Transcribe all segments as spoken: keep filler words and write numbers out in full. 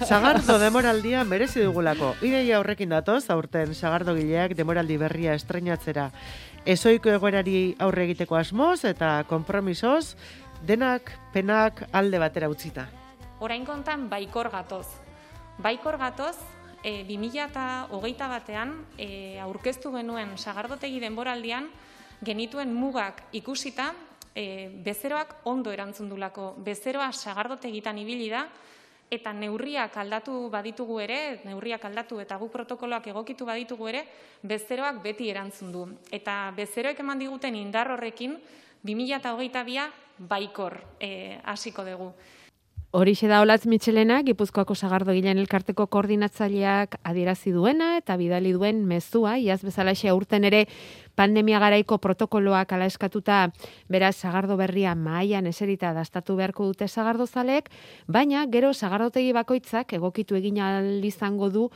Sagardo demoraldia merezi dugulako. Ideia horrekin datoz, aurten sagardogileak demoraldi berria estreinatzera. Ezoiko egoerari aurre egiteko asmoz eta konpromisoz, denak penak alde batera utzita. Orain kontan baikor gatoz. Baikor gatoz, e, bi mila hogeita batean e, aurkeztu genuen sagardotegi denboraldian genituen mugak ikusita, e, bezeroak ondo erantzundulako. Bezeroa sagardotegitan ibili da, eta neurriak aldatu baditugu ere, neurriak aldatu eta guk protokoloak egokitu baditugu ere, bezeroak beti erantzun du. Eta bezeroek eman diguten indar horrekin, bi mila hogeita bia baikor e, hasiko dugu. Horixe da Olatz Mitxelena, Gipuzkoako Sagardogileen Elkarteko koordinatzaileak adierazi duena eta bidali duen mezua, iaz bezalaxe aurten ere pandemia garaiko protokoloak ala eskatuta, beraz sagardo berria mahaian eserita dastatu beharko dute sagardozaleek, baina gero sagardotegi bakoitzak egokitu egin ahal izango du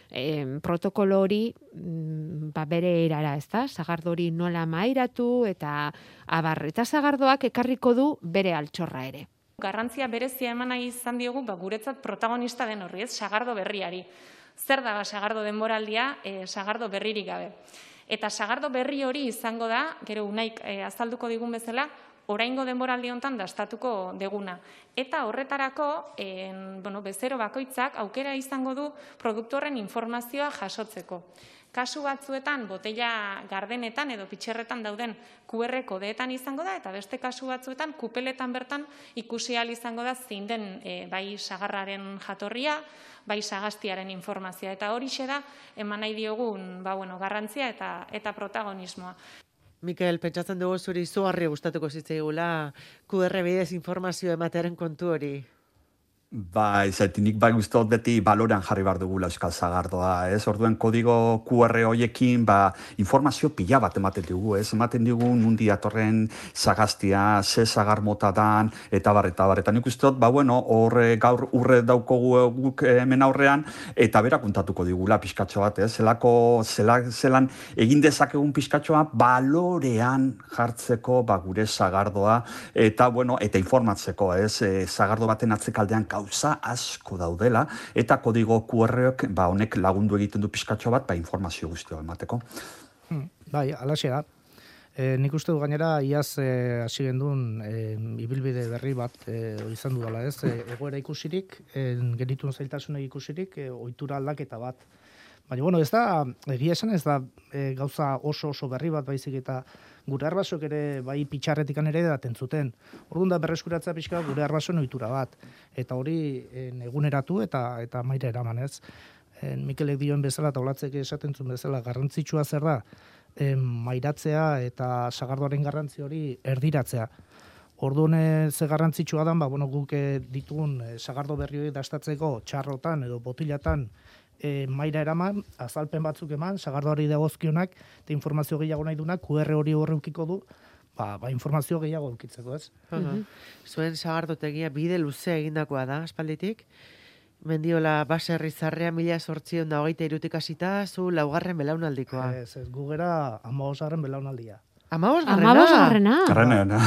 eh, protokolo hori mm, ba, bere erara, ezta? Sagardo hori nola mahairatu eta abar, eta sagardoak ekarriko du bere altxorra ere. Garrantzia berezia eman nahi izan diogu, ba, guretzat protagonista den horri, ez, sagardo berriari. Zer da ba, sagardo denboraldia, e, sagardo berririk gabe. Eta sagardo berri hori izango da, gero unaik e, azalduko digun bezala, oraingo denboraldi hontan dastatuko deguna. Eta horretarako, en, bueno, bezero bakoitzak aukera izango du produktu horren informazioa jasotzeko. Kasu batzuetan, botella gardenetan edo pitxerretan dauden Q R kodeetan izango da, eta beste kasu batzuetan, kupeletan bertan ikusi ahal izango da zein den e, bai sagarraren jatorria, bai sagaztiaren informazioa. Eta horixe da, eman nahi diogun ba, bueno, garrantzia eta, eta protagonismoa. Mikel, pentsatzen dugu zuri izugarri gustatuko zitzaigula Q R bidez informazio ematearen kontu hori. Ba, izaitinik bai guztot beti balorean jarri behar dugula euskal sagardoa, ez? Orduen kodigo Q R hoiekin, ba, informazio pila bat ematen dugu, ez? Ematen dugu nundi atorren sagaztia, ze sagar mota dan, eta bar, eta bar. Eta nik ustot, ba, bueno, horre gaur urre daukogu guk hemen aurrean, eta bera kontatuko digula pixkatxo bat, ez? Zelako, zela, zelan egin dezakegun pixkatxoa balorean jartzeko, ba, gure sagardoa, eta, bueno, eta informatzeko, ez? E, sagardo baten atzekaldean gauza asko daudela, eta kodigo Q R-ek ba, honek lagundu egiten du pixkatxo bat, ba, informazio guztioa emateko. Hmm, bai, alaxe da. E, nik uste du gainera, iaz hasi e, gendun e, ibilbide berri bat e, izan du dela, ez? E, egoera ikusirik, e, genituen zailtasunek ikusirik, e, ohitura aldaketa bat. Baina, bueno, ez da, egia esan ez da e, gauza oso oso berri bat baizik eta gure arbasok ere bai pitxarretikan ere daten zuten. Orduan da berreskuratza pixka gure arbasoen ohitura bat. Eta hori e, eguneratu eta eta maira eraman, ez? E, Mikelek dioen bezala eta Olatzek esaten zuen bezala garrantzitsua zer da, e, mairatzea eta sagardoaren garrantzi hori erdiratzea. Orduan ze garrantzitsua da, ba, bueno, guk ditugun e, sagardo berri hori dastatzeko txarrotan edo botilatan E, maira eraman, azalpen batzuk eman, sagardoari dagozkionak, eta informazio gehiago nahi dunak, Q R hori horreukiko du, ba, ba informazio gehiago eukitzeko, ez? Uh-huh. Zuen sagardotegia bide luze egindakoa da, aspalditik. Mendiola baserri zarrea mila sortzion da hogeita irutik hasita, zu laugarren belaunaldikoa. Ez, ez, gugera amabosgarren belaunaldia. Amabos garrena? Amabos garrena. Garrena.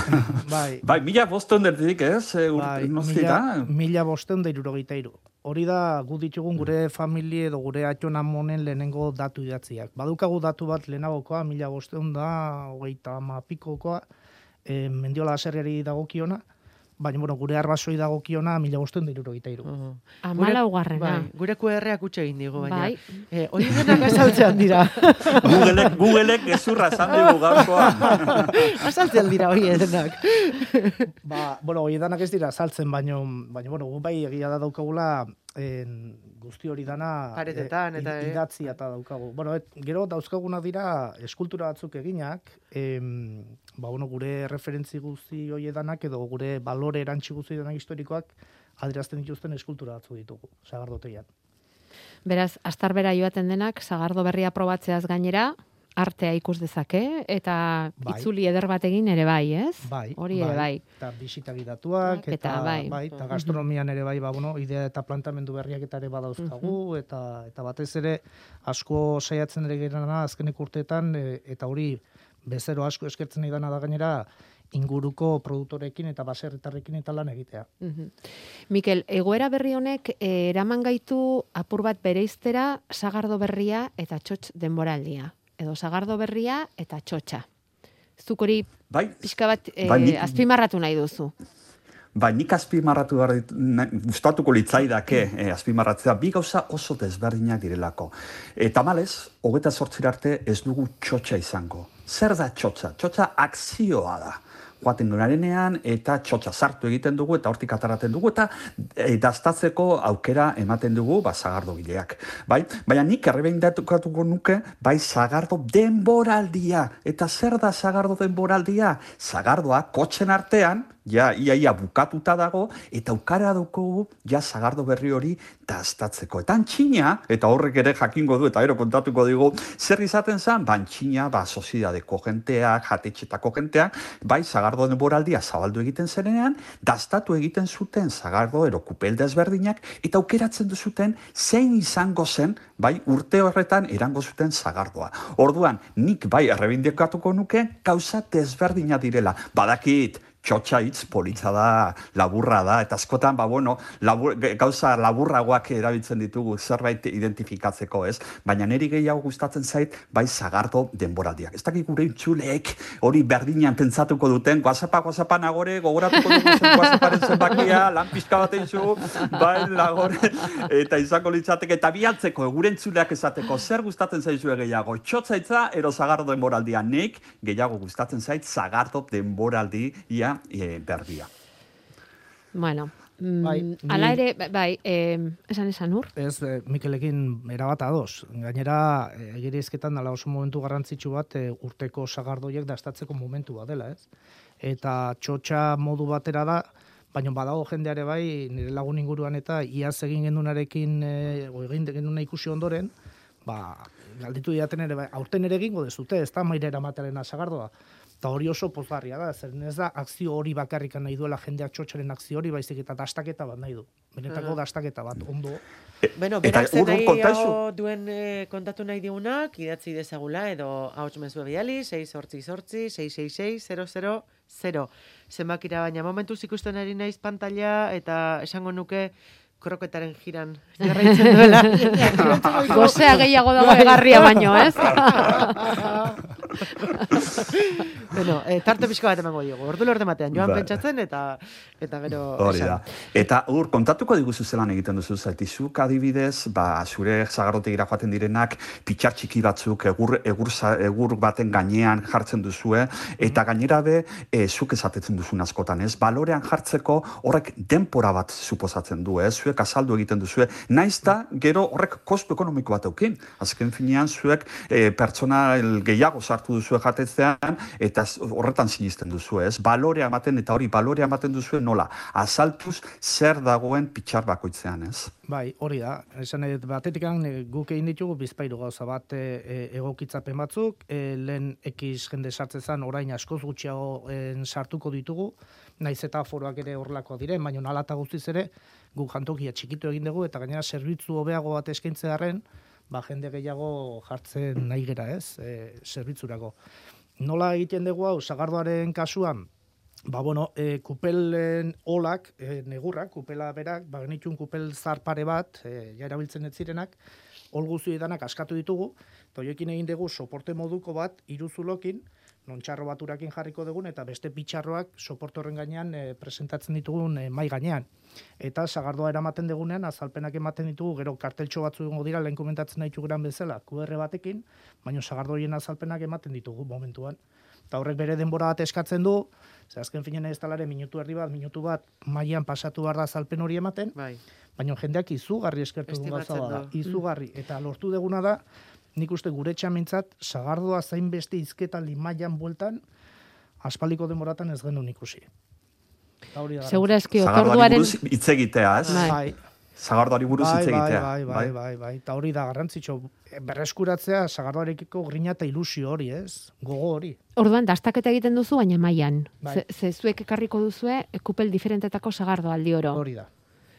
Bai. Bai, mila bosteun derditik, ez? E, bai, mila, mila bosteun da irurogeita iru. Hori da, gu ditugun gure familie edo gure atxon amonen lehenengo datu idatziak. Badukagu datu bat lehenagokoa, mila bosteun da, hogeita mapikokoa, e, Mendiola baserriari dagokiona, baina, bueno, gure arbasoi dagokiona mila bosteun da irurogeita iru. Uh-huh. Amala ugarrena. Bai, gure Q R-ak utxe egin digu, baina. Bai. Eh, hori denak azaltzean dira. Googleek, Googleek gezurra esan dugu gaurkoa. Azaltzean dira hori denak. Ba, bueno, hori danak ez dira saltzen, baina, baina, bueno, gu bai egia da daukagula en, guzti hori dana paretetan, e, eta, eh? idatzia eta daukagu. Bueno, et, gero dauzkagunak dira eskultura batzuk eginak, em, ba, bueno, gure referentzi guzti hori danak edo gure balore erantzi guzti danak historikoak adierazten dituzten eskultura batzuk ditugu, sagardotegian. Beraz, astarbera joaten denak, sagardo berria probatzeaz gainera, artea ikus dezake, eta bai. Itzuli eder bat egin ere bai, ez? Bai, hori ere bai. Eta bisita gidatuak, eta, eta bai. bai, eta gastronomian ere bai, ba, bueno, idea eta plantamendu berriak eta ere badauzkagu, uh-huh. eta, eta batez ere asko saiatzen ere gerana azkenek urteetan, e, eta hori bezero asko eskertzen nahi dana da gainera, inguruko produktorekin eta baserritarrekin eta lan egitea. Mhm. Mikel, egoera berri honek eh, eraman gaitu apur bat bereiztera sagardo berria eta txotx denboraldia. Edo sagardo berria eta txotxa. Zuk hori Bai, pixka bat eh, bai, nik- azpimarratu nahi duzu. Ba, nik azpimarratu behar dit- na- gustatuko litzaidake eh, azpimarratzea bi gauza oso desberdinak direlako. Eta malez, hogeta zortzira arte ez dugu txotxa izango. Zer da txotxa? Txotxa akzioa da. Joaten dunarenean eta txotxa sartu egiten dugu eta hortik ataraten dugu eta e, daztatzeko aukera ematen dugu ba, sagardogileak. Bai? Baina nik errebeindatuko nuke bai sagardo denboraldia. Eta zer da sagardo denboraldia? Sagardoa kotxen artean, ja iaia bukatuta dago, eta aukara dugu ja sagardo berri hori daztatzeko. Eta antxina, eta horrek ere jakingo du, eta ero kontatuko digu, zer izaten zen, ba antxina, ba soziedadeko jenteak, jatetxetako jenteak, bai sagardo denboraldia zabaldu egiten zenean, daztatu egiten zuten sagardo ero kupel desberdinak, eta aukeratzen duzuten zein izango zen, bai urte horretan erango zuten sagardoa. Orduan, nik bai errebindikatuko nuke, gauza desberdina direla. Badakit, txotxa hitz politza da, laburra da, eta askotan, ba, bueno, labur, gauza laburragoak erabiltzen ditugu zerbait identifikatzeko, ez? Baina niri gehiago gustatzen zait, bai sagardo denboraldiak. Ez dakik gure intzuleek hori berdinean pentsatuko duten, guazapa, guazapa nagore, gogoratuko dugu zen guazaparen zenbakia, lan pixka bat eizu, bai, nagore, eta izango litzateke, eta bialtzeko, gure intzuleak esateko, zer gustatzen zaizue gehiago, txotzaitza, ero sagardo denboraldia, nik gehiago gustatzen zait, sagardo denboraldi, ia, E, berdia. Bueno, mm, Bai, ala ni- ere, bai, eh, esan esan ur? Ez, eh, Mikelekin erabat ados. Gainera, eh, egirizketan dala oso momentu garrantzitsu bat eh, urteko sagardoiek daztatzeko momentua dela, ez? Eta txotxa modu batera da, baina badago jendeare bai, nire lagun inguruan eta iaz egin genunarekin, e, egin genuna ikusi ondoren, ba, galditu diaten ere, bai, aurten ere egingo dezute, ez da mairera matearen sagardoa. Eta hori oso pozgarria da, zer ez da akzio hori bakarrikan nahi duela jendeak txotxaren akzio hori, baizik eta dastaketa bat nahi du. Benetako Aha. dastaketa bat, ondo. Bueno, Eta berak zen urrun kontaizu. nahiago duen eh, kontatu nahi digunak, idatzi dezagula, edo ahots mezua bidali, sei zortzi zortzi, sei sei sei, zero zero zero. Zenbakira baina momentuz ikusten ari naiz pantalla, eta esango nuke kroketaren jiran jarraitzen duela. Gozea gehiago dago egarria baino, ez? Bueno, eh, tarte pixka bat emango diogu. Ordu lorde batean, joan Bai. pentsatzen, eta eta gero Hori esan. da. Eta ur, kontatuko diguzu zelan egiten duzu, zaitizuk adibidez, ba, zure sagardotegira joaten direnak, pitxar txiki batzuk egur, egur, za- egur baten gainean jartzen duzue, eta gainera be, e, zuk esatetzen duzun askotan, ez? Balorean jartzeko horrek denpora bat suposatzen du, ez? Zuek azaldu egiten duzue, naiz da, gero horrek kostu ekonomiko bat eukin. Azken finean, zuek e, pertsona gehiago sartu duzue jatetzean, eta z- horretan sinisten duzu, ez? Balorea ematen, eta hori balorea ematen duzue nola? Azaltuz zer dagoen pitxar bakoitzean, ez? Bai, hori da. Esan nahi dut, batetik eh, guk egin ditugu bizpairu gauza bat e, e, egokitzapen batzuk, e, lehen ekiz jende sartzezan orain askoz gutxiago en, sartuko ditugu, naiz eta foroak ere horrelakoak diren, baina nalata guztiz ere guk jantokia txikitu egin dugu eta gainera zerbitzu hobeago bat eskaintze harren, ba jende gehiago jartzen nahi gera, ez? E, zerbitzurako. Nola egiten dugu hau sagardoaren kasuan? Ba, bueno, e, kupelen olak, e, negurrak, kupela berak, ba, genitxun kupel zarpare bat, e, ja erabiltzen ez zirenak, ol guzti danak askatu ditugu, eta horiekin egin dugu soporte moduko bat, iruzulokin, non txarro bat urakin jarriko dugun, eta beste pitxarroak soporte horren gainean e, presentatzen ditugun e, mai gainean. Eta sagardoa eramaten dugunean, azalpenak ematen ditugu, gero karteltxo batzu egongo dira, lehen komentatzen nahi geran bezala, Q R batekin, baina sagardoien azalpenak ematen ditugu momentuan. Eta horrek bere denbora bat eskatzen du, ze azken finean ez talare minutu erdi bat, minutu bat mailan pasatu behar da azalpen hori ematen, Bai. baina jendeak izugarri eskertu duen gauza Estimatzen da. du. Izugarri. Eta lortu deguna da, nik uste gure txamentzat, sagardoa zain beste izketa limaian bueltan, aspaldiko denboratan ez genuen ikusi. Eta hori da. Segura eski Sagardoari otorduaren... buruz hitz egitea, ez? Bai. Bai, Sagardoari buruz bai, hitz bai, egitea. bai, bai, bai, bai. Eta hori da garrantzitsu. Berreskuratzea sagardoarekiko grina eta ilusio hori, ez? Gogo hori. Orduan, dastaketa egiten duzu, baina mailan. Bai. Ze, ze zuek ekarriko duzue, e, kupel diferentetako sagardo aldi oro. Hori da.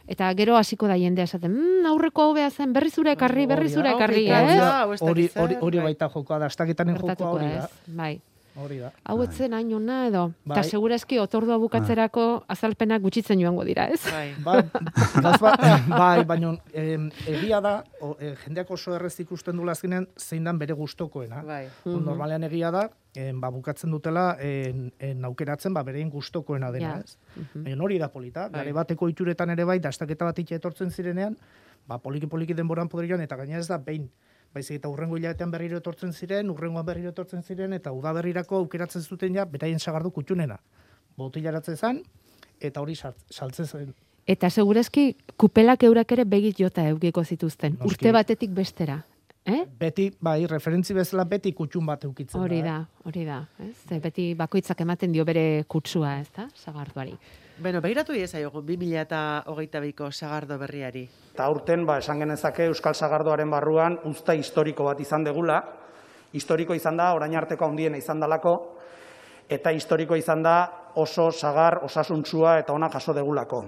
Eta gero hasiko da jendea esaten, mmm, aurreko hobea zen, berri zure ekarri, berri Hori da, zure ekarri, hori da, ez? hau ez dakit Hori, zer, hori, hori bai. baita jokoa da, astaketaren jokoa Gertatuko hori ez, da. bai. Hori da. Hau etzen hain ona edo, eta Bai. segurazki otordua bukatzerako azalpenak gutxitzen joango dira, ez? Bai. Bai, gauz bat, bai, baina em, egia da, o, e, jendeak oso errez ikusten dula azkenean zein dan bere gustokoena. Bai. Mm Normalean egia da, em, ba, bukatzen dutela en, en aukeratzen ba, berein gustokoena dena, Ja. ez? Baina hori da polita, Bai. gare bateko ituretan ere bai, dastaketa bat itxe etortzen zirenean, ba, poliki-poliki denboran poderian, eta gaina ez da behin. Baizik eta urrengo hilabetean berriro etortzen ziren, urrengoan berriro etortzen ziren, eta udaberrirako aukeratzen zuten ja, beraien sagardu kutxunena. Botilaratze zen, eta hori sart- saltzen zen. Eta segurazki kupelak eurak ere begit jota eukiko zituzten, Noski. urte batetik bestera. Eh? Beti, bai, referentzi bezala beti kutxun bat eukitzen Hori da. da, hori da. Ez? Ze beti bakoitzak ematen dio bere kutsua, ez da, sagardoari. Beno, behiratu iezaiogu, bi mila hogeita biko sagardo berriari. Eta aurten, ba, esan genezake Euskal Sagardoaren barruan uzta historiko bat izan degula. Historiko izan da, orain arteko handiena izan dalako, eta historiko izan da oso sagar osasuntsua eta ona jaso degulako.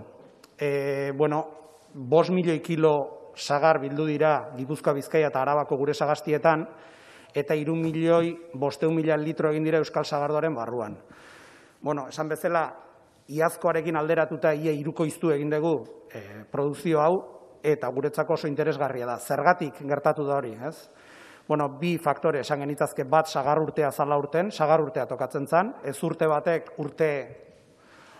E, bueno, bost milioi kilo sagar bildu dira Gipuzkoa, Bizkaia eta Arabako gure sagastietan, eta hiru milioi bosteun mila litro egin dira Euskal Sagardoaren barruan. Bueno, esan bezala, iazkoarekin alderatuta ia hirukoiztu egin dugu e, produzio hau, eta guretzako oso interesgarria da. Zergatik gertatu da hori, ez? Bueno, bi faktore esan genitazke, bat sagar urtea zala urten, sagar urtea tokatzen zen, ez urte batek urte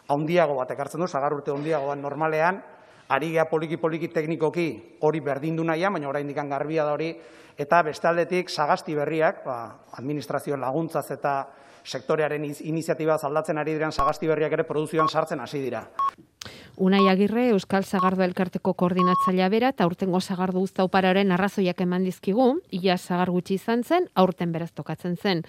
handiago batek hartzen du, sagar urte handiagoan normalean, ari gea poliki-poliki teknikoki hori berdindu nahian, baina oraindik garbia da hori, eta beste aldetik sagasti berriak, ba, administrazioen laguntzaz eta sektorearen iniziatibaz aldatzen ari diren sagasti berriak ere produzioan sartzen hasi dira. Unai Agirre, Euskal Sagardo Elkarteko koordinatzailea bera, eta aurtengo sagardo uzta upararen arrazoiak eman dizkigu, ia sagar gutxi izan zen, aurten beraz tokatzen zen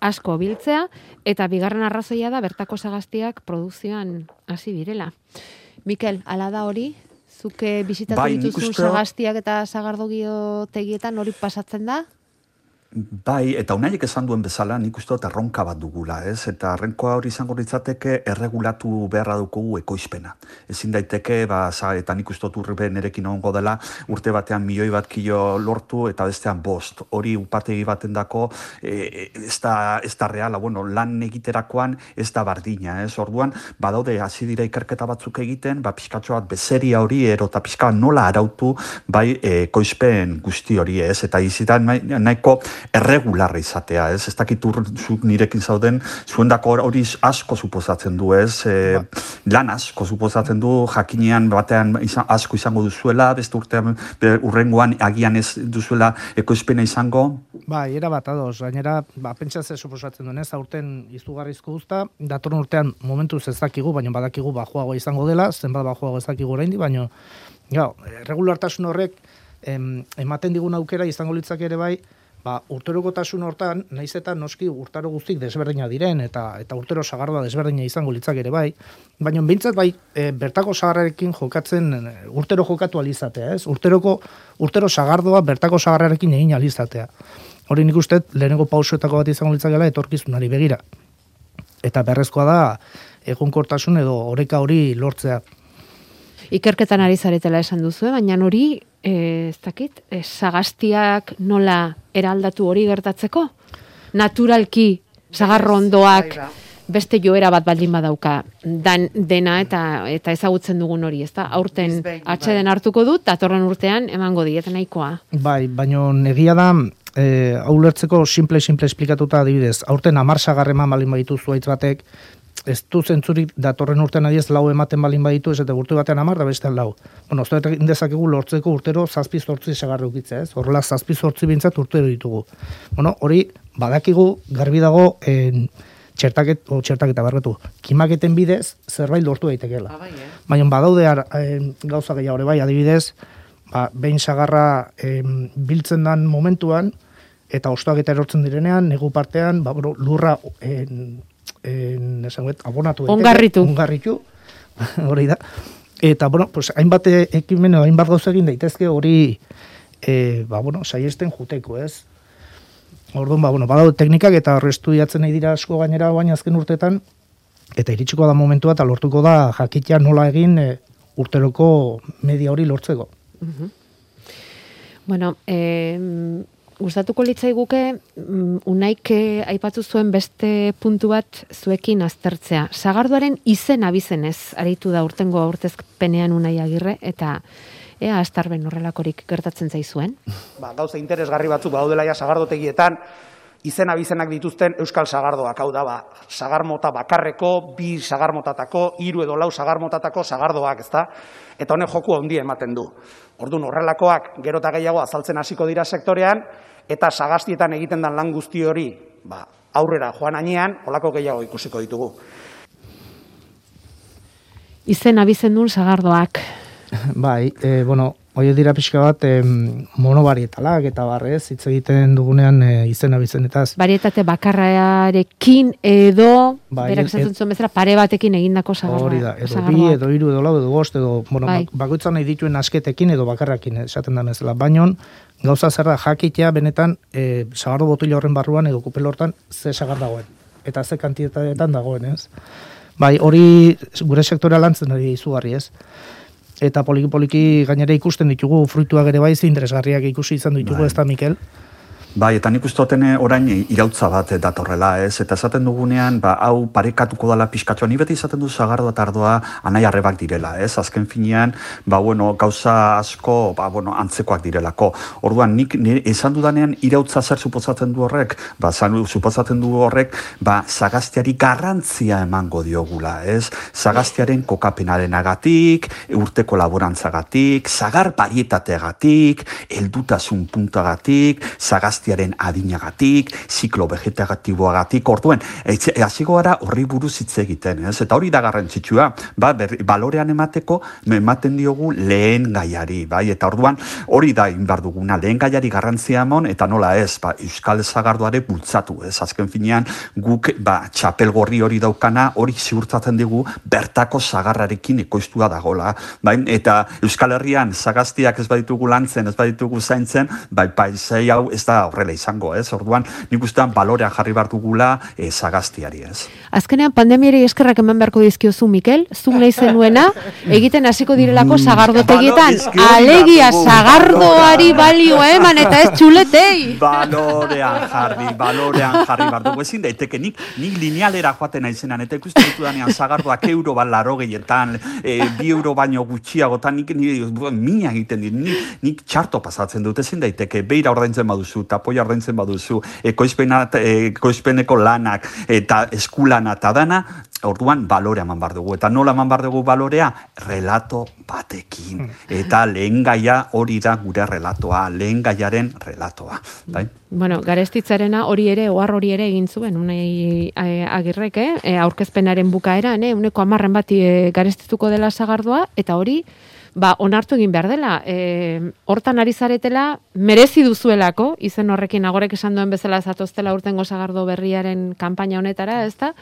asko biltzea, eta bigarren arrazoia da bertako sagaztiak produzioan hasi direla. Mikel, ala da hori? Zuke bisitatu Bai, nik dituzun uste- sagaztiak eta sagardogiotegietan hori pasatzen da? Bai, eta unaiek esan duen bezala, nik uste dut erronka bat dugula, ez? Eta errenkoa hori izango litzateke erregulatu beharra dugu ekoizpena. Ezin daiteke, ba, za, eta nik uste dut urbe nerekin ongo dela, urte batean milioi bat kilo lortu eta bestean bost. Hori upategi baten dako, e, ez da, ez da reala, bueno, lan egiterakoan ez da bardina, ez? Orduan, badaude, hasi dira ikerketa batzuk egiten, ba, pixkatxo bat bezeria hori, ero eta pixka nola arautu, bai, e, ekoizpen guzti hori, ez? Eta izitan nahiko erregularra izatea, ez? Ez dakit zuk nirekin zauden, zuendako hori asko suposatzen du, ez? E, lan asko suposatzen du, jakinean batean izan, asko izango duzuela, beste urtean, be, urrengoan agian ez duzuela ekoizpena izango. Bai, era bat ados, gainera, ba, pentsatze suposatzen duen, ez, aurten izugarrizko guzta, datorren urtean momentuz ez dakigu, baina badakigu bajoago izango dela, zenbat bajoago ez dakigu oraindik, baina, gau, regulartasun horrek em, ematen digun aukera izango litzake ere bai, ba, urterokotasun hortan, naiz eta noski urtaro guztik desberdina diren, eta eta urtero sagardoa desberdina izango litzake ere bai, baina behintzat bai, e, bertako sagarrarekin jokatzen, e, urtero jokatu alizatea, ez? Urteroko, urtero sagardoa bertako sagarrarekin egin alizatea. Hori nik uste, lehenengo pausoetako bat izango litzakela etorkizunari begira. Eta berrezkoa da, egonkortasun edo oreka hori lortzea. Ikerketan ari zaretela esan duzu, baina hori, eh, ez dakit, eh, sagaztiak nola eraldatu hori gertatzeko? Naturalki, sagarro ondoak, Bai, beste joera bat baldin badauka, dan, dena eta eta ezagutzen dugun hori, ezta? Aurten Bizbehin, atxeden bai. hartuko dut, datorren urtean emango diet nahikoa. Bai, baina egia da, e, hau lertzeko simple-simple esplikatuta adibidez, aurten hamar sagar eman balin baditu zuaitz batek, ez du zentzurik datorren urtean adiez lau ematen balin baditu, ez eta urte batean hamar da bestean lau. Bueno, ez da dezakegu lortzeko urtero zazpi zortzi sagarra ukitzea, ez? Horrela zazpi zortzi bintzat urtero ditugu. Bueno, hori badakigu garbi dago en, txertaket, o txertaketa barretu, kimaketen bidez zerbait lortu daitekeela. Ah, bai, eh? Baina badaude ar, en, gauza gehiago ere bai, adibidez, ba, behin sagarra em, biltzen dan momentuan, eta ostoak eta erortzen direnean, negu partean, ba, bueno, lurra en, en, esangoet, abonatu daiteke. Ongarritu. Ongarritu, hori da. Eta, bueno, pues, hainbat ekimen, hainbat gauza egin daitezke hori, e, ba, bueno, saiesten juteko, ez? Orduan, ba, bueno, badaude teknikak eta horre estudiatzen nahi dira asko gainera baina azken urtetan, eta iritsiko da momentua eta lortuko da jakitea nola egin e, urteroko media hori lortzeko. Bueno, eh, gustatuko litzaiguke mm, Unaik aipatu zuen beste puntu bat zuekin aztertzea. Sagardoaren izen abizenez aritu da urtengo aurkezpenean Unai Agirre, eta ea astarben horrelakorik gertatzen zaizuen. Ba, gauza interesgarri batzuk daudela ja sagardotegietan, izen abizenak dituzten euskal sagardoak, hau da, ba, sagarmota bakarreko, bi sagarmotatako, hiru edo lau sagarmotatako sagardoak, ezta? Eta honek joku handia ematen du. Orduan horrelakoak gero eta gehiago azaltzen hasiko dira sektorean, eta sagastietan egiten den lan guzti hori, ba, aurrera joan hainean, holako gehiago ikusiko ditugu. Izen abizendun sagardoak. Bai, e, bueno, hori dira pixka bat e, monobarietalak eta barrez, hitz egiten dugunean e, izena bizenetaz. Barietate bakarrarekin edo, Bai, berak et- esaten zuen bezala, pare batekin egindako sagardoa. Hori da, edo sagardoak. bi, edo hiru, edo lau, edo bost, edo, bueno, Bai. bak- bakoitza nahi dituen asketekin edo bakarrakin esaten da bezala. Baina, gauza zer da jakitea benetan e, sagardo botila horren barruan edo kupel hortan ze sagar dagoen. Eta ze kantitateetan dagoen, ez? Bai, hori gure sektorea lantzen ari izugarri, ez? Eta poliki-poliki gainera ikusten ditugu fruituak ere bai interesgarriak ikusi izan ditugu, Bai. ez da, Mikel? Bai, eta nik uste dut orain irautza bat datorrela, ez? Eta esaten dugunean, ba, hau parekatuko dala pixkatxoa. Ni beti esaten du sagardoa eta ardoa anai arrebak direla, ez? Azken finean, ba, bueno, gauza asko, ba, bueno, antzekoak direlako. Orduan, nik nire esan dudanean irautza zer suposatzen du horrek? Ba, zan, suposatzen du horrek, ba, sagaztiari garrantzia emango diogula, ez? Sagaztiaren kokapenarenagatik, urteko laborantzagatik, sagar barietateagatik, heldutasun puntagatik, sagazti adinagatik, ziklo vegetatiboagatik, orduen, hasiko gara horri buruz hitz egiten, ez? Eta hori da garrantzitsua, ba, berri, balorean emateko, ematen diogu lehen gaiari, bai? Eta orduan, hori da inbar duguna, lehen gaiari garrantzia emon, eta nola ez, ba, euskal sagardoare bultzatu, ez? Azken finean, guk, ba, txapel gorri hori daukana, hori ziurtatzen dugu, bertako sagarrarekin ekoiztua dagola, bai? Eta Euskal Herrian, sagaztiak ez baditugu lantzen, ez baditugu zaintzen, bai, paisai hau ez da horrela izango, ez? Orduan, nik ustean balorean jarri behar dugula e, sagaztiari, ez? Azkenean pandemiari eskerrak eman beharko dizkiozu, Mikel, zuk nahi zenuena, egiten hasiko direlako sagardotegietan, Balo- eske hori alegia behar dugu. sagardoari balioa eman, eta ez txuletei. Balorean jarri, balorean jarri behar dugu. Ezin daiteke, nik, nik linealera joaten naizenan, eta ikusten ditu danean sagardoak euro bat laro gehietan, e, bi euro baino gutxiagotan, nik, nik mina egiten dit, nik, nik txarto pasatzen dut, ezin daiteke, beira ordaintzen baduzu, tapoia ordaintzen baduzu, ekoizpena, ekoizpeneko lanak, eta eskulana eta dana, orduan balorea eman behar dugu. Eta nola eman behar dugu balorea? Relato batekin. Eta lehen gaia hori da gure relatoa, lehen gaiaren relatoa. Bai? Bueno, garestitzarena hori ere, ohar hori ere egin zuen, Unai eh, Agirrek, eh, aurkezpenaren bukaeran, eh, uneko hamarren bati eh, garestituko dela sagardoa, eta hori, ba, onartu egin behar dela. E, hortan ari zaretela, merezi duzuelako, izen horrekin agorek esan duen bezala zatoztela urtengo sagardo berriaren kanpaina honetara, ez da?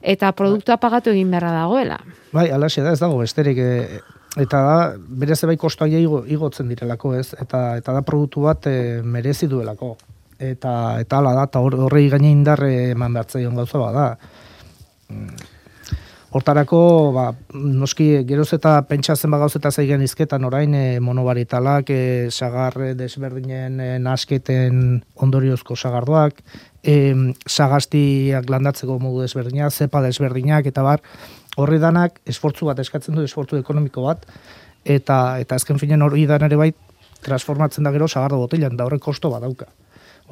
Eta produktua pagatu egin beharra dagoela. Bai, alaxe da, ez dago besterik, e, eta da, bere zebai kostoa igo, igotzen direlako, ez? Eta, eta da produktu bat e, merezi duelako. Eta, eta ala da, eta horrei gaine indar eman behartzaion gauza bada. Hortarako, ba, noski geroz eta pentsatzen ba gauzeta zeigen izketan orain e, monobaritalak, e, sagar desberdinen e, nasketen ondoriozko sagardoak, e, sagaztiak landatzeko modu desberdinak, zepa desberdinak, eta bar, horri danak esfortzu bat eskatzen du, esfortzu ekonomiko bat, eta eta azken finen hori dan ere bai transformatzen da gero sagardo botilan, da horrek kosto bat dauka.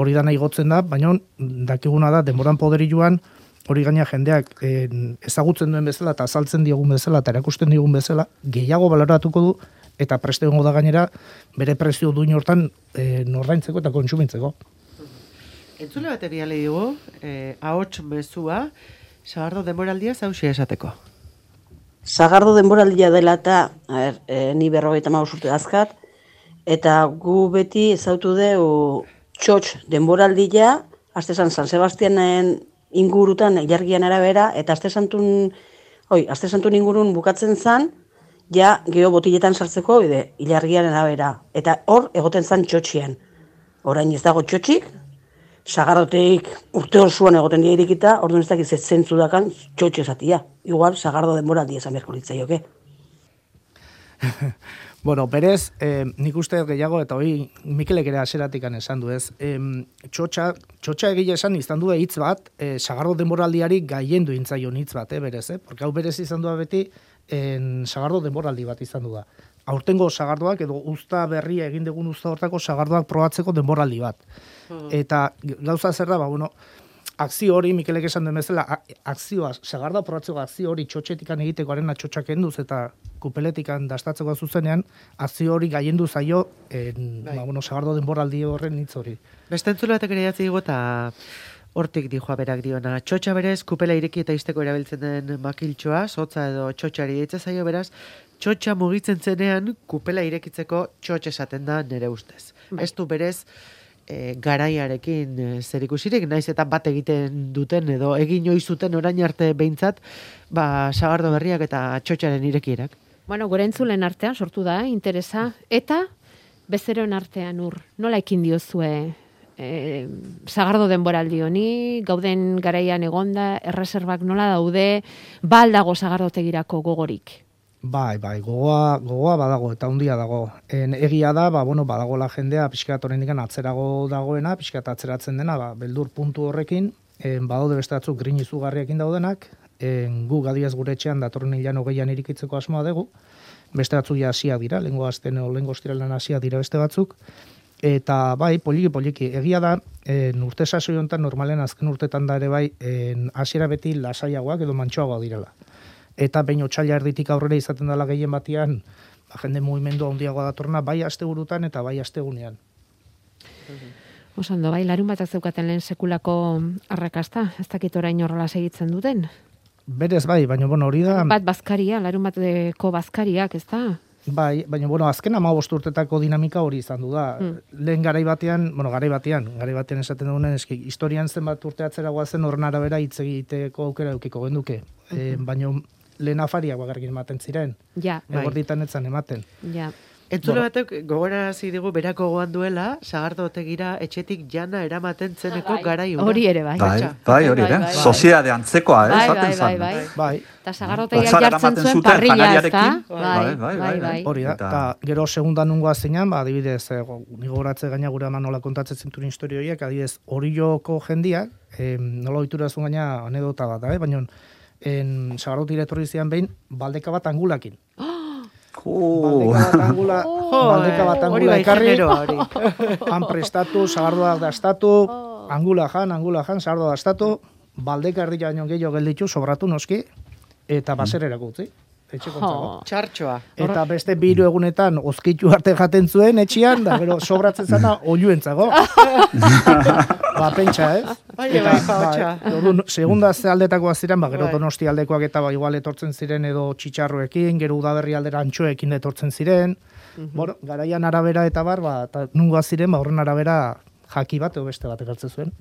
Hori dana igotzen da, baina dakiguna da, denboran poderi joan, hori gaina jendeak eh, ezagutzen duen bezala eta azaltzen diogun bezala eta erakusten diogun bezala, gehiago baloratuko du eta preste egongo da gainera bere prezio duin hortan eh, nordaintzeko eta kontsumintzeko. Entzule bate biale dugu, eh, ahots mezua, sagardo denboraldia zausia esateko. Sagardo denboraldia dela eta, a ber, e, ni berrogeita hamabost urte dazkat, eta gu beti ezautu dugu txotx denboraldia, aste San Sebastianen ingurutan ilargian arabera, eta aste santun, oi, aste santun ingurun bukatzen zan, ja geho botiletan sartzeko, ide, ilargian arabera. Eta hor egoten zan txotxien. Orain ez dago txotxik, sagardoteik urte osoan egoten dira irikita, orduan ez dakiz ez zentzu dakan txotxe esatia. Igual, sagardo denboraldia esan beharko litzaioke. Bueno, berez, eh, nik uste gehiago, eta hori Mikelek ere aseratik esan du ez, eh, txotxa, txotxa egile esan izan du hitz bat, eh, Sagardo denboraldiari gaiendu intzaion hitz bat, eh, berez, eh? Porque hau berez izan du beti, en, Sagardo denboraldi bat izan du da. Aurtengo sagardoak, edo uzta berria egin dugun uzta hortako sagardoak probatzeko denboraldi bat. Hmm. Eta gauza zer da, ba, bueno, akzio hori, Mikelek esan den bezala, akzioa, sagardoa probatzeko akzio hori txotxetikan egiteko arena txotxak enduz eta kupeletikan dastatzeko zuzenean, akzio hori gaiendu zaio, en, ba, bueno, sagardo denboraldi horren hitz hori. Beste entzule batek ere jatzi digo eta hortik dijoa berak diona. Txotxa berez, kupela ireki eta izteko erabiltzen den makiltxoa, sotza edo txotxari eitza zaio beraz, txotxa mugitzen zenean kupela irekitzeko txotx esaten da nere ustez. Bai. Ez du berez, E, garaiarekin e, zerikusirik, naiz eta bat egiten duten edo egin ohi zuten orain arte behintzat, ba, sagardo berriak eta txotxaren irekierak. Bueno, gure entzulen artean sortu da, interesa, eta bezeroen artean ur, nola ekin diozue e, sagardo denboraldi honi, gauden garaian egonda, erreserbak nola daude, ba aldago sagardotegirako gogorik? Bai, bai, gogoa, gogoa badago eta handia dago. En, egia da, ba, bueno, badago la jendea pixkat oraindik atzerago dagoena, pixkat atzeratzen dena, ba, beldur puntu horrekin, en, badaude beste batzuk grin izugarriekin daudenak, en, gu gadiaz gure etxean datorren hilan hogeian irikitzeko asmoa dugu, beste batzuk ja hasiak dira, lehengo azten o lehengo ostiralean hasiak dira beste batzuk, eta bai, poliki, poliki, egia da, en, urte sasoi honetan normalen azken urtetan da ere bai, en, hasiera beti lasaiagoak edo mantxoagoak direla. Eta behin otsaila erditik aurrera izaten dela gehien batian, ba, jende mugimendu handiagoa datorna, bai asteburutan eta bai astegunean. Osando, bai, larun batak zeukaten lehen sekulako arrakasta, ez dakit orain horrela segitzen duten? Berez bai, baina bueno, hori da... Bat bazkaria, larun bateko bazkariak, ez da? Bai, baina bueno, azken hamabost urtetako dinamika hori izan du da. Hmm. Lehen garai batean, bueno, garai batean, garai batean esaten dugunen, eski, historian zenbat urte atzera guazen horren arabera hitz egiteko aukera eukiko genduke. Hmm. E, baina lehen afariak bakarrik ematen ziren. Ja. Egorditan etzan ematen. Ja. Entzule batek gogorarazi digu berako goan duela, sagardo otegira etxetik jana eramaten zeneko bai. garai una. Hori ere, bai. Bai, bai, hori ere. Soziedade antzekoa, eh, bai, esaten bai, zan. bai, bai. Eta sagardotegia jartzen zuen parrilla, ez da? Bai, bai, bai, bai. Hori da, eta gero segunda nungoa zeinan, ba, adibidez, eh, nigo goratze gaina gure eman nola kontatzen zintuen historio horiek, adibidez, Orioko jendiak, eh, nola oiturazun gaina anedota bat, eh? Baina, en sagardotik etorri zian behin, baldeka bat angulakin. Oh. Baldeka bat angula, oh, baldeka bat angula bai ekarri, hori. han prestatu, sagardoak dastatu, angula jan, angula jan, sagardoa dastatu, baldeka erdi jaino gehiago gelditu, sobratu noski, eta basererako utzi. Oh. Txartxoa. Eta beste biru egunetan ozkitu arte jaten zuen etxian, da gero sobratzen zana oiuentzago. Ba, pentsa, ez? Bai, bai, paotxa. Ba, segunda aldetakoa ziren, ba, gero Donosti aldekoak eta ba, igual etortzen ziren edo txitxarroekin, gero udaberri aldera antxoekin etortzen ziren. Mm-hmm. Bueno, garaian arabera eta bar, ba, eta nungoa ziren, ba, horren arabera jaki bat edo beste bat ekartzen zuen.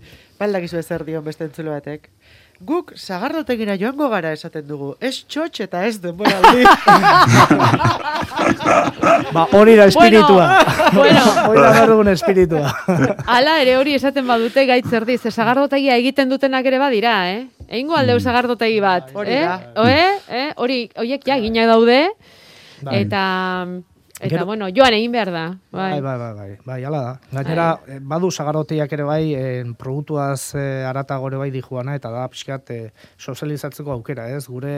Baldakizu ezer dion beste entzule batek. Guk sagardotegira joango gara esaten dugu. Ez txotx eta ez denboraldi. Ba, hori da espiritua. Bueno, hori da dugun espiritua. Hala ere hori esaten badute gaitz erdi, ze sagardotegia egiten dutenak ere badira, eh? Egingo aldeu sagardotegi bat, hori eh? da. Oe? Eh? Hori, horiek ja eginak daude, Bai. eta... Eta, Gero, bueno, joan egin behar da. Bai, bai, bai, bai, bai, ala da. Gainera, bai. Badu sagardotegiak ere bai, en, produktuaz eh, arata gore bai dijuana, eta da, pixkat, eh, sozializatzeko aukera, ez? Gure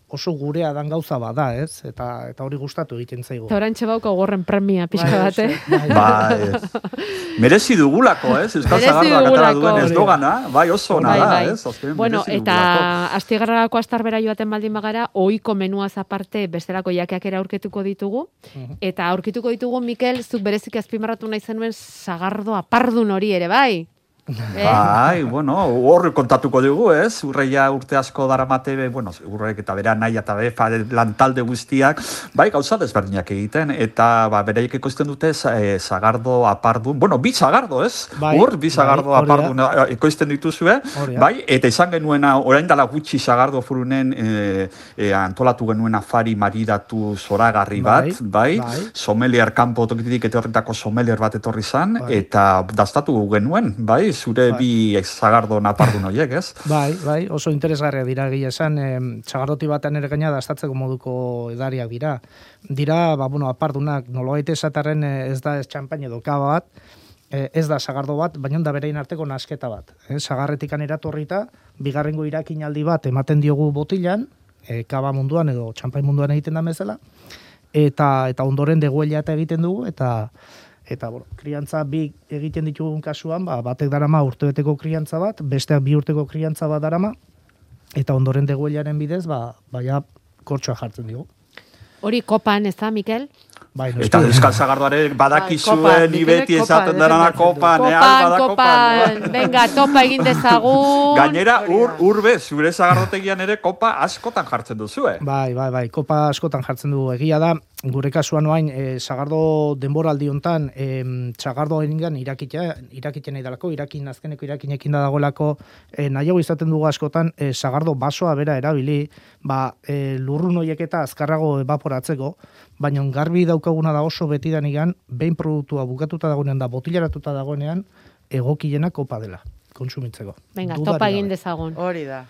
oso gurea dan gauza bada, ez? Eta eta hori gustatu egiten zaigu. Eta orantxe bauko gorren premia pixka bat, eh? Bai, bai. Merezi dugulako, ez? Euskal Sagardoak atara duen ez dogana, bai oso ona da, ez? Azken, bueno, eta astigarrarako astarbera joaten baldin bagara, ohiko menuaz aparte bestelako jakeak ere aurkituko ditugu, uh-huh. Eta aurkituko ditugu, Mikel, zuk berezik azpimarratu nahi zenuen sagardo apardun hori ere, bai? Eh? Bai, bueno, hor kontatuko dugu, ez? Urreia urte asko daramate, bueno, urreik eta bera nahi eta befa lantalde guztiak, bai, gauza desberdinak egiten, eta ba, bereik ekoizten dute eh, sagardo apardun, bueno, bi sagardo, ez? Bai, hor, bi sagardo bai, apardun ekoizten dituzue, bai, eta izan genuena, orain dela gutxi sagardo furunen eh, eh, antolatu genuen afari maridatu zoragarri bat, bai, bai, bai. Sommelier kanpo tokitik eta horretako sommelier bat etorri zan, bai. Eta dastatu genuen, bai, zure bai. bi zagardo napardun horiek, ez? Bai, bai, oso interesgarria dira egia esan, e, sagardoti batean ere gaina dastatzeko moduko edariak dira. Dira, ba, bueno, apardunak, nolabait esatarren ez da ez txampain edo kaba bat, e, ez da sagardo bat, baina da berein arteko nasketa bat. E, sagarretikan eratorrita, bigarrengo irakinaldi bat ematen diogu botilan, e, kaba munduan edo txampain munduan egiten da bezala, eta eta ondoren deguela eta egiten dugu, eta eta bueno, kriantza bi egiten ditugun kasuan, ba, batek darama urtebeteko kriantza bat, besteak bi urteko kriantza bat darama, eta ondoren deguelaren bidez, ba, baia kortsoa jartzen digu. Hori kopan, ez da, Mikel? Bai, Eta Euskal Zagardoare badakizue ni beti esaten dena kopan, eh, Kopan, kopan, venga, topa egin dezagun. Gainera, ur, urbe, zure zagardotegian ere kopa askotan jartzen duzue. Bai, bai, bai, kopa askotan jartzen dugu. Egia da, gure kasuan oain, e, sagardo denboraldi hontan, e, sagardo eningan irakitea, irakitea nahi dalako, irakin azkeneko irakinekin da dagoelako, e, nahiago izaten dugu askotan, e, sagardo basoa bera erabili, ba, e, lurrun horiek eta azkarrago evaporatzeko, baina garbi daukaguna da oso betidanigan, behin produktua bukatuta dagoenean da, botilaratuta dagoenean, egokiena kopa dela, kontsumitzeko. Venga, Dudarik topa gabe. egin dezagun. Hori da.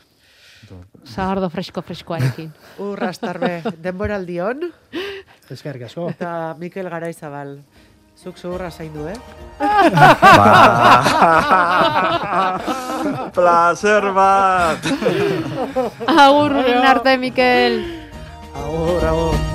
Sagardo fresko-freskoarekin. Urrastarbe, denboraldion, Eskerrik asko. eta Mikel Garaizabal. Zuk zuhurra zaindu, eh? Placer bat! Agur, arte, Mikel. Agur, agur.